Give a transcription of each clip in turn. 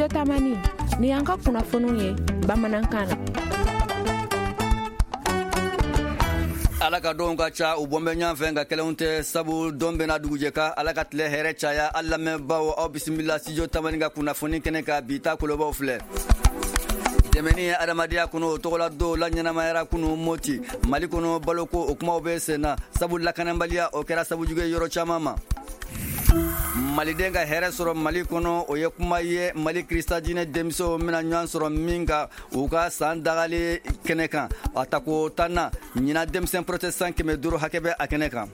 Studio Tamani ni y'an ka kunnafoniw ye bamanankan na. Ala ka donw ka ca, u bɔn bɛ ɲɔgɔn fɛ, nka kelenw tɛ, sabu don bɛna dugujɛ kan. Ala ka tile hɛrɛ caya. An lamɛnbaaw, aw bisimila Studio Tamani ka kunnafoni kɛnɛ kan. Bi ta kolobaw filɛ: dɛmɛni ye adamadenya kɔnɔ, o tɔgɔla don la ɲɛnamayara kunu Moti. Mali kɔnɔ, baloko o kumaw bɛ sen na, sabu lakanabaliya o kɛra sabu jugu ye yɔrɔ caman ma. Maliden ka hɛrɛ sɔrɔ Mali kɔnɔ, o ye kuma ye Mali Krista diinɛ denmisɛnw bɛna ɲɔgɔn sɔrɔ min kan u ka san dagali kɛnɛ kan, a tako 10nan ɲinan, denmisɛn protestant 500 hakɛ bɛ a kɛnɛ kan.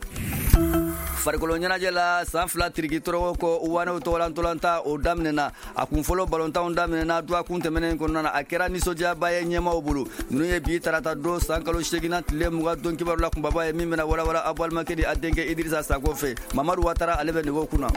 Farikolo ɲɛnajɛ la, san 2 tiriki tɔrɔgɔ kɔ, wanew tɔgɔla ntolatan o daminɛna. A kun fɔlɔ balontanw daminɛna dɔgɔkun tɛmɛnen kɔnɔna na. A kɛra nisɔndiyaba ye ɲɛmaaw bolo. Ninnu ye bi tarata don, san kalo seginna tile 20 don kibaru la kunbaba ye, min bɛna walawala aw balimakɛ di a denkɛ Idirisa Sako fɛ. Mamadu Watara, ale bɛ nɛgɛw kunna.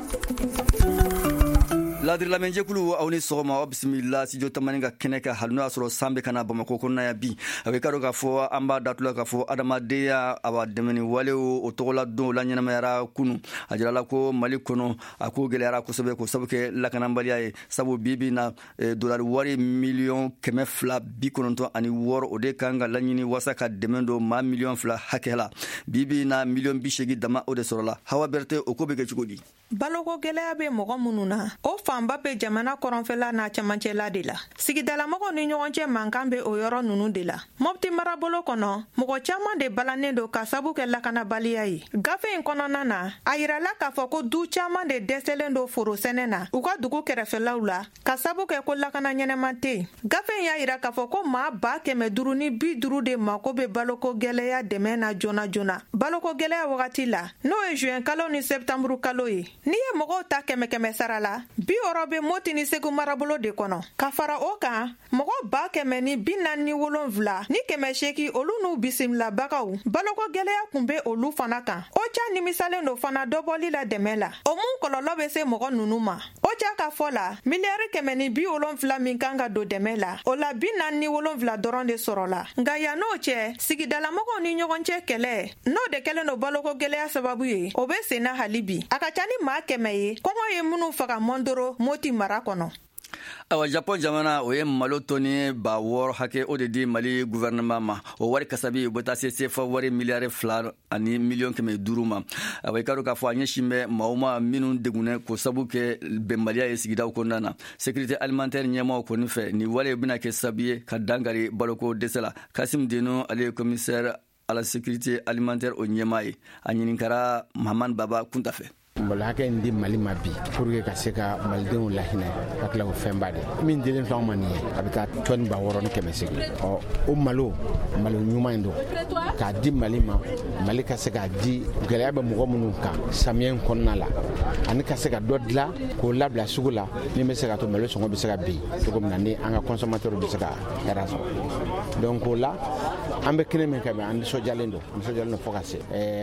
Ladiri lamɛnjɛkulu, aw ni sɔgɔma, aw bisimila Studio Tamani ka kɛnɛ kan. Hali n'o y'a sɔrɔ san bɛ ka na Bamakɔ kɔnɔna yan bi, a bɛ ka dɔn k'a fɔ an b'a datula k'a fɔ adamadenya awa dɛmɛni walew o tɔgɔla don la ɲɛnamayara kunu. A jirala ko Mali kɔnɔ, a ko gɛlɛyara kosɛbɛ k'o sabu kɛ lakanabaliya ye, sabu bi bi na dolari wari miliyɔn 296, o de kan ka laɲini wasa ka dɛmɛ don maa miliyɔn 2 hakɛ la. Bi bi na, miliyɔn 80 dama o de sɔrɔla. Hawa Bɛrɛte, o ko bɛ kɛ cogo di? Baloko gwɛlɛya bɛ mɔgɔ minnu na, o fanba bɛ jamana kɔrɔnfɛla n'a cɛmancɛla de la. Sigidalamɔgɔw ni ɲɔgɔn cɛ mankan bɛ o yɔrɔ ninnu de la. Mɔpti marabolo kɔnɔ, mɔgɔ caaman de balannen don ka sabu kɛ lakanabaliya ye. Gafe in kɔnɔna na, a yirala k'a fɔ ko du caaman de dɛsɛlen don foro sɛnɛ na u ka dugu kɛrɛfɛlaw la, ka sabu kɛ ko lakana ɲɛnɛman tɛ yen. Gafe in y'a yira k'a fɔ ko maa 550,000 de mako bɛ baloko gwɛlɛya dɛmɛ na joona joona baloko gwɛlɛya wagati la, n'o ye juin kalo ni sɛptanburu kalo ye. N'i ye mɔgɔw ta kɛmɛ kɛmɛ sara la, 60 bɛ Moti ni Segu marabolo de kɔnɔ. Ka fara o kan, mɔgɔ 147,800, olu n'u bisimilabagaw, baloko gwɛlɛya kun bɛ olu fana kan. OCHA nimisalen don fana dɔbɔli la dɛmɛ la, o mun kɔlɔlɔ bɛ se mɔgɔ ninnu ma. OCHA ka fɔ la, miliyari 170 min kan ka don dɛmɛ la, o la 47 dɔrɔn de sɔrɔla. Nka yann'o cɛ, sigidalamɔgɔw ni ɲɔgɔn cɛ kɛlɛ, n'o de kɛlen don baloko gwɛlɛya sababu ye, o bɛ senna hali bi. A ka ca ni maa 100 ye kɔngɔ ye minnu faga Mɔndoro, Moti mara kɔnɔ. Awa, Japon jamana o ye malo tɔni 6000 hakɛ o de di Mali gouvernement ma. O wari kasabi, o bɛ taa se sefa wari miliyari 2 ni miliyɔn 500 ma. Awa, i ka dɔn k'a fɔ a ɲɛsin bɛ maaw ma minnu degunnen k'o sabu kɛ bɛnbaliya ye sigidaw kɔnɔna na. Sécurité alimentaire ɲɛmaaw kɔni fɛ, nin wale bɛna kɛ sababu ye ka dankari baloko dɛsɛ la. Kasim Deno, ale ye commissaire à la sécurité alimentaire o ɲɛmaa ye, a ɲininkara Mahamani Baba Kunta fɛ. Malo hakɛ in di Mali ma bi pour que ka se ka malidenw lahinɛ, ka tila o fɛnba de min dilen filɛ anw ma nin ye, a bɛ taa tɔni 6800. Ɔ, o malo, malo ɲuman in don k'a di Mali ma, Mali ka se k'a di gɛlɛya bɛ mɔgɔ minnu kan samiyɛ in kɔnɔna la, ani ka se ka dɔ dilan k'o labila sugu la, min bɛ se ka to malo sɔngɔ bɛ se ka bin cogo min na, ni an ka consommateur bɛ se ka hɛrɛ sɔrɔ. Donc o la, an bɛ kɛnɛ min kan bi, an nisɔndiyalen don, nisɔndiyalen don fo ka se.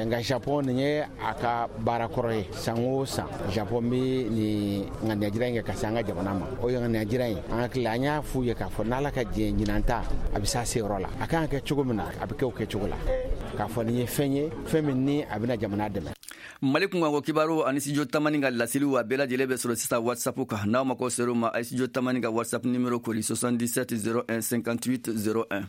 Nka Japon, nin ye a ka baara kɔrɔ ye. San o san, Japon bɛ nin ŋaniyajira in kɛ ka se an ka jamana ma. O ŋaniyajira in, an hakili la, an y'a f'u ye k'a fɔ n'Ala ka diɲɛ, ɲinan ta a bɛ s'a seyɔrɔ la. A kan ka kɛ cogo min na, a bɛ kɛ o kɛcogo la, k'a fɔ nin ye fɛn ye, fɛn min ni a bɛna jamana dɛmɛ. Mali kunkanko kibaru ani Studio Tamani ka laseliw, a bɛɛ lajɛlen bɛ sɔrɔ sisan WhatsApp kan. N'aw mako ser'o ma, a ye Studio Tamani ka WhatsApp numéro kori: 77 01 58 01.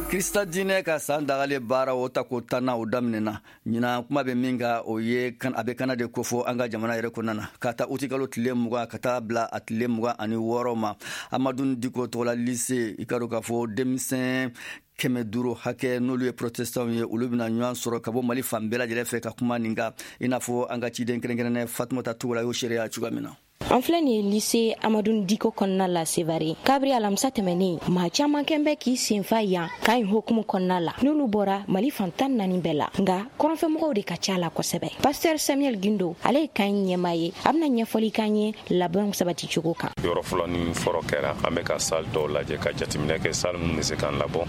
Krista diinɛ ka san dagalen baara o tako 10nan o daminɛna ɲinan. Kuma bɛ min kan, o ye a bɛ kana de kofɔ an ka jamana yɛrɛ kɔnɔna na, ka taa utikalo tile 20 ka taa bila a tile 26 ma, Amadu Diko tɔgɔla lycée. I ka dɔn k'a fɔ denmisɛn 500 hakɛ, n'olu ye protestantw ye, olu bɛna ɲɔgɔn sɔrɔ ka bɔ Mali fan bɛɛ lajɛlen fɛ ka kuma nin kan, i n'a fɔ an ka ciden kɛrɛnkɛrɛnnɛ Fatumata Togola y'o seereya cogoya min na. An filɛ nin ye lycée Amadu Diko kɔnɔna la Sevare. Kabiri alamisa tɛmɛnen, maa caaman kɛn bɛ k'i senfa yan kan in hokumu kɔnɔna la, n'olu bɔra Mali fan 14 bɛɛ la, nga kɔrɔnfɛmɔgɔw de ka ca la kosɛbɛ. Pasteur Samuel Gindo, ale ye kan in ɲɛma ye, a bena ɲɛfɔli kan ye labɛnw sabati cogo kan. Yɔrɔ fɔlɔ ni fɔlɔ kɛra, an bɛ ka salle dɔw lajɛ ka jateminɛ kɛ, salle minnu bɛ se k'an labɔ,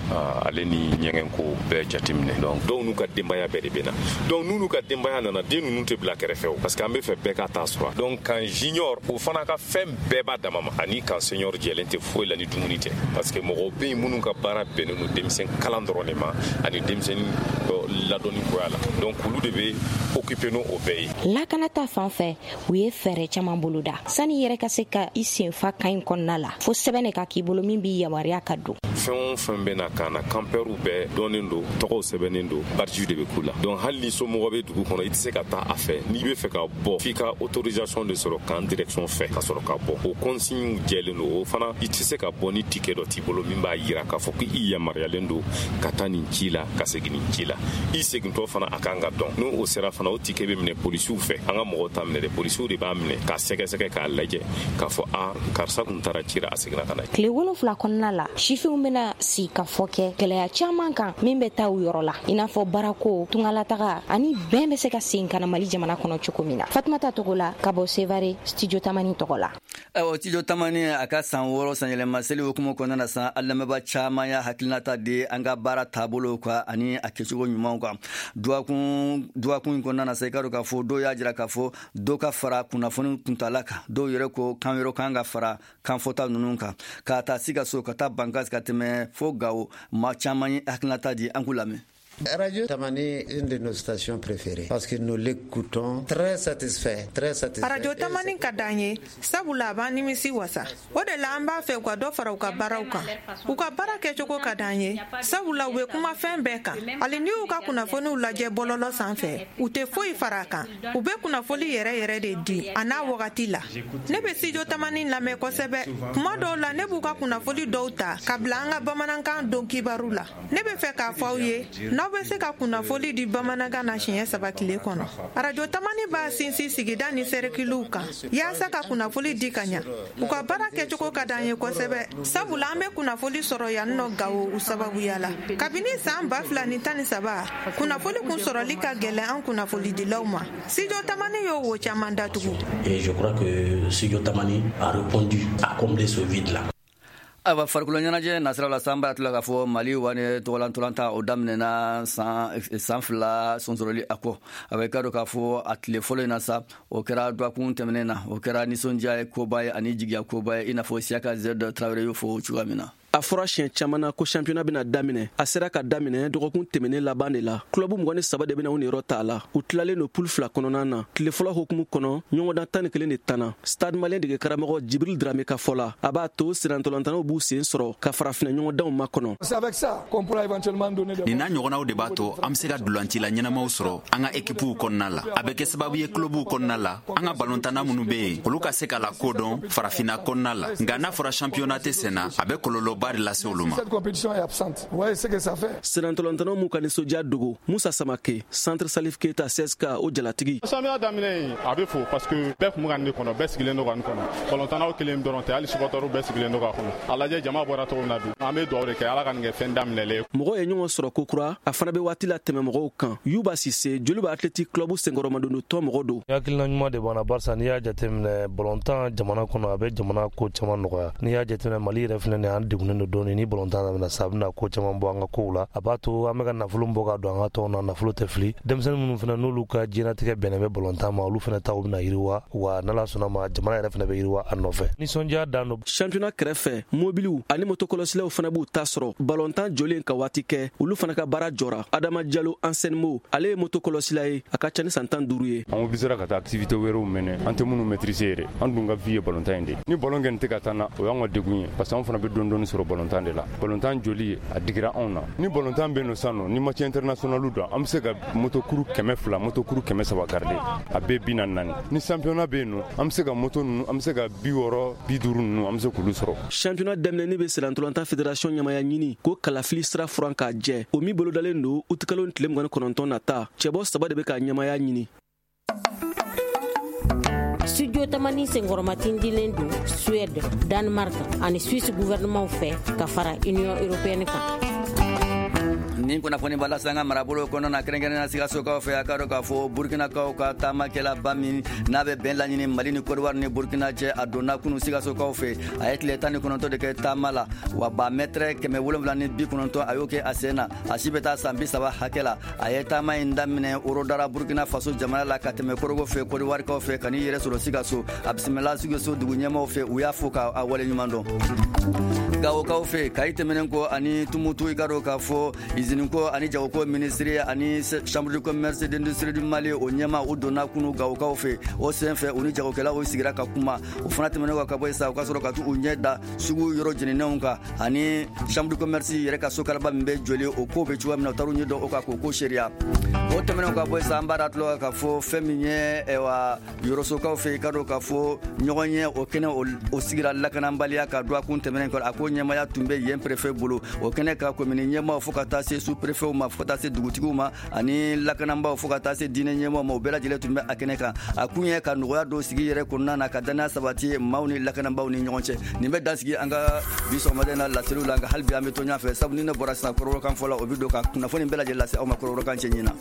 ale ni ɲɛgɛn ko bɛɛ jateminɛ. Donc dɔw n'u ka denbaya bɛɛ de bɛ na. Donc n'u ka denbaya nana, den ninnu tɛ bila kɛrɛfɛ o, parce que an bɛ fɛ bɛɛ ka taa sɔrɔ. Donc camp junior, o fana ka fɛn bɛɛ b'a dama ma, ani camp senior jɛlen tɛ foyi la ni dumuni tɛ, parce que mɔgɔw bɛ yen minnu ka baara bɛnnen don denmisɛn kalan dɔrɔn de ma, ani denmisɛnnin fɔ ladɔnni koya la. Donc olu de bɛ occuper n'o bɛɛ ye. Lakana ta fan fɛ, u ye fɛɛrɛ caman boloda sani yɛrɛ ka se ka i senfa kan in kɔnɔna la, fo sɛbɛn de ka k'i bolo min b'i yamaruya ka don. Fɛn o fɛn bɛ na kan na, campeurs bɛɛ dɔnnen don, tɔgɔw sɛbɛnnen don, badge de bɛ k'u la. Donc hali ni somɔgɔ bɛ dugu kɔnɔ, i tɛ se ka taa a fɛ. N'i bɛ fɛ ka bɔ, f'i ka autorisation de sɔrɔ camp direction fɛ ka sɔrɔ ka bɔ. O consigne jɛlen don. O fana, i tɛ se ka bɔ ni ticket dɔ t'i bolo min b'a yira k'a fɔ k'i yamaruyalen don ka taa nin ci la, ka segin nin ci la. I segintɔ fana, a kan ka dɔn. N'o o sera fana, o ticket bɛ minɛ polisiw fɛ. An ka mɔgɔw t'a minɛ dɛ, polisiw de b'a minɛ k'a sɛgɛsɛgɛ, k'a lajɛ k'a fɔ a karisa kun taara ci la, a seginna ka na. Tile 7 kɔnɔna la, sifinw bɛna sigi ka fɔ kɛ gɛlɛya caman kan min bɛ taa u yɔrɔ la, i n'a fɔ baarako, tungalataga ani bɛn bɛ se ka segin ka na Mali jamana kɔnɔ cogo min na. Fatumata Togola ka bɔ Sevare, Studio Tamani tɔgɔ la. Ayiwa, Studio Tamani a ka san 6 sanyɛlɛma seli hukumu kɔnɔna na san, an lamɛnbaa caman y'a hakilinata di an ka baara taabolo kan ani a kɛcogo ɲumanw kan. Dɔgɔkun in kɔnɔna na sa, i ka dɔn k'a fɔ dɔw y'a jira k'a fɔ dɔ ka fara kunnafoni kuntala kan, dɔw yɛrɛ ko kan wɛrɛ kan ka fara kanfɔta ninnu kan, ka taa Sikaso, ka taa Bankas, ka tɛmɛ fo Gawo. Maa caman ye hakilinata di, an k'u lamɛn. Radio Tamani est une de nos stations préférées parce que nous l'écoutons très satisfait, très satisfait. Radio Tamani ka d'an ye, sabula a b'an nimisi wasa. O de la an b'a fɛ u ka dɔ fara u ka baaraw kan. U ka baara kɛcogo ka d'an ye, sabula u bɛ kuma fɛn bɛɛ kan. Hali n'i y'u ka kunnafoniw lajɛ bɔlɔlɔ sanfɛ, u tɛ foyi fara a kan. U bɛ kunnafoli yɛrɛ yɛrɛ de di a n'a wagati la. Ne bɛ Studio Tamani lamɛn kosɛbɛ. Kuma dɔw la, ne b'u ka kunnafoli dɔw ta ka bila an ka bamanankan don kibaru la. Ne bɛ fɛ k'a fɔ aw ye, n'aw bɛ se ka kunnafoli di bamanankan na siɲɛ 3 tile kɔnɔ. Arajo Tamani b'a sinsin sigida ni sɛrikiliw kan yaasa ka kunnafoli di ka ɲa. U ka baara kɛcogo ka d'an ye kosɛbɛ, sabula an bɛ kunnafoli sɔrɔ yan nɔ Gawo u sababuya la. Kabini san 2013, kunnafoli kun sɔrɔli ka gɛlɛn an kunnafolidilaw ma. Studio Tamani y'o wo caman datugu. Et je crois que Studio Tamani a répondu, a comblé ce vide-là. Ayiwa, farikolo ɲɛnajɛ nasira la, san b'a tila k'a fɔ Mali wani tɔgɔlantolantan o daminɛna san 2 sonsɔrɔli a kɔ. A bɛ ka dɔn k'a fɔ a tile fɔlɔ in na sa, o kɛra dɔgɔkun tɛmɛnen na, o kɛra nisɔndiya ye koba ye ani jigiya koba ye, i n'a fɔ Siyaka Z Tarawele y'o fɔ cogoya min na. A fɔra siɲɛ caman na ko championnat bɛna daminɛ. A sera ka daminɛ dɔgɔkun tɛmɛnen laban de la. Club 23 de bɛna u niyɔrɔ ta a la. U tilalen don poule 2 kɔnɔna na. Tile fɔlɔ hukumu kɔnɔ, ɲɔgɔndan 11 de tanna. Stade Malien dege karamɔgɔ Jibril Dramé ka fɔ la, a b'a to sirantɔlantannaw b'u sen sɔrɔ ka farafinna ɲɔgɔndanw makɔnɔ. Nin n'a ɲɔgɔnnaw de b'a to an bɛ se ka dulancila ɲɛnamaw sɔrɔ an ka ekipuw kɔnɔna la. A bɛ kɛ sababu ye clubw kɔnɔna la, an ka balontanna minnu bɛ yen, olu ka se ka lakodɔn farafinna kɔnɔna la. Nka n'a fɔra championnat tɛ sen na, a bɛ kɔlɔlɔba de lase olu ma. Sirantɔlantannaw m'u ka nisɔndiya dogo. Musa Samake, Centre Salif Keita CSK o jalatigi. Samiya daminɛ, a bɛ fo parce que bɛɛ kun bɛ ka nin de kɔnɔ, bɛɛ sigilen don ka nin kɔnɔ. Balontannaw kelen dɔrɔn tɛ, hali supporters bɛɛ sigilen don k'a kɔnɔ. A lajɛ jama bɔra cogo min na bi, an bɛ dugawu de kɛ Ala ka nin kɛ fɛn daminɛlen ye. Mɔgɔw ye ɲɔgɔn sɔrɔ kokura, a fana bɛ waati la tɛmɛ mɔgɔw kan. Yuba Sise, Joliba Athletic Club senkɔrɔmadondon tɔn mɔgɔ don. Hakilina ɲuman de b'an na, barisa n'i y'a jateminɛ balontan jamana kɔnɔ, a bɛ jamana ko caman nɔgɔya. N'i y'a jateminɛ Mali yɛrɛ filɛ nin ye, an degunnen don dɔɔnin. Ni balontan daminɛ sa, a bɛna ko caman bɔ an ka kow la. A b'a to an bɛ ka nafolo bɔ ka don an ka tɔnw na, nafolo tɛ fili. Denmisɛnnin minnu fana n'olu ka diɲɛlatigɛ bɛnnen bɛ balontan ma, olu fana taw bɛna yiriwa, wa n'Ala sɔnna ma, jamana yɛrɛ fana bɛ yiriwa a nɔfɛ. Nisɔndiya dan don. Championnat kɛrɛfɛ, mobiliw ani motokɔlɔsilaw fana b'u ta sɔrɔ. Balontan jɔlen ka waati kɛ, olu fana ka baara jɔra. Adama Jalo Anselmo, ale ye motokɔlɔsila ye, a ka ca ni san 15 ye. An obligera ka taa activité wɛrɛw mɛnɛ, an tɛ minnu maîtriser yɛrɛ. An dun ka vie ye balontan in de. Ni balon kɛni tɛ ka taa na, o y'an ka degun ye, parce que an fana bɛ dɔɔni dɔɔni sɔrɔ balontan de la. Balontan joli a digira anw na. Ni balontan bɛ nɔ sisan nɔ, ni match international don, an bɛ se ka motokuru 200, motokuru 300 garder, a bɛɛ 44. Ni championnat bɛ yen nɔ, an bɛ se ka moto ninnu, an bɛ se ka 60, 50 ninnu, an bɛ se k'olu sɔrɔ. Championnat daminɛni bɛ sirantɔlantan fédération ɲamaya ɲini ko kalafili sira furan k'a jɛ, o min bolodalen don utikalo tile 29 nata. Cɛbɔ 3 de bɛ ka ɲamaya ɲini. Studio Tamani senkɔrɔmatindilen don Suède, Danemark ani Suisse gouvernement fɛ ka fara Union européenne kan. Nin kunnafoni b'a lase an ka marabolo kɔnɔna na, kɛrɛnkɛrɛnnenya Sikasokaw fɛ. A ka dɔn k'a fɔ Burkinakaw ka taamakɛlaba min n'a bɛ bɛn laɲini Mali ni Côte d'Ivoire ni Burkina cɛ, a donna kunu Sikasokaw fɛ. A ye tile 19 de kɛ taama la, wa ba mɛtɛrɛ 790 a y'o kɛ a sen na. A si bɛ taa san 30 hakɛ la. A ye taama in daminɛ Orodara, Burkina Faso jamana la, ka tɛmɛ Korogo fɛ, Côte d'Ivoirekaw fɛ, ka n'i yɛrɛ sɔrɔ Sikaso. A bisimila Sikaso dugu ɲɛmaaw fɛ, u y'a fo k'a waleɲuman dɔn. Gawokaw fɛ, Kayi tɛmɛnen kɔ ani Tumutu, i ka dɔn k'a fɔ Iziniko ani jagoko minisiri ani Chambre de commerce d'industrie du Mali, o ɲɛma, u donna kunu Gawokaw fɛ. O sen fɛ, u ni jagokɛlaw sigira ka kuma. O fana tɛmɛnen ka bɔ yen sa, o ka sɔrɔ ka t'u ɲɛ da sugu yɔrɔ jeninenw kan ani Chambre de commerce yɛrɛ ka sokalaba min bɛ jɔli, o ko bɛ cogoya min na, u taar'u ɲɛ dɔn o kan k'o ko seereya. O tɛmɛnen ka bɔ yen sa, an b'a da tulo kan k'a fɔ fɛn min ye, ayiwa, Yɔrɔsokaw fɛ, i ka dɔn k'a fɔ ɲɔgɔn ye o kɛnɛ o sigira lakanabaliya ka dɔgɔkun tɛmɛnen kɔrɔ. A ko ɲɛmaya tun bɛ yen préfet bolo. O kɛnɛ ka komini ɲɛmaaw, fo ka taa se sous préfetw ma, fo ka taa se dugutigiw ma ani lakanabaaw, fo ka taa se diinɛ ɲɛmaaw ma, o bɛɛ lajɛlen tun bɛ a kɛnɛ kan. A kun ye ka nɔgɔya don sigi yɛrɛ kɔnɔna na, ka danaya sabati maaw ni lakanabaaw ni ɲɔgɔn cɛ. Nin bɛ dan sigi an ka bi sɔgɔmada in na laseliw la. Nka hali bi an bɛ to ɲɔgɔn fɛ, sabu ni ne bɔra sisan, kɔrɔbɔrɔkan fɔla, o bɛ don ka kunnafoni bɛɛ lajɛlen lase aw ma kɔrɔbɔrɔkan cɛ ɲin na.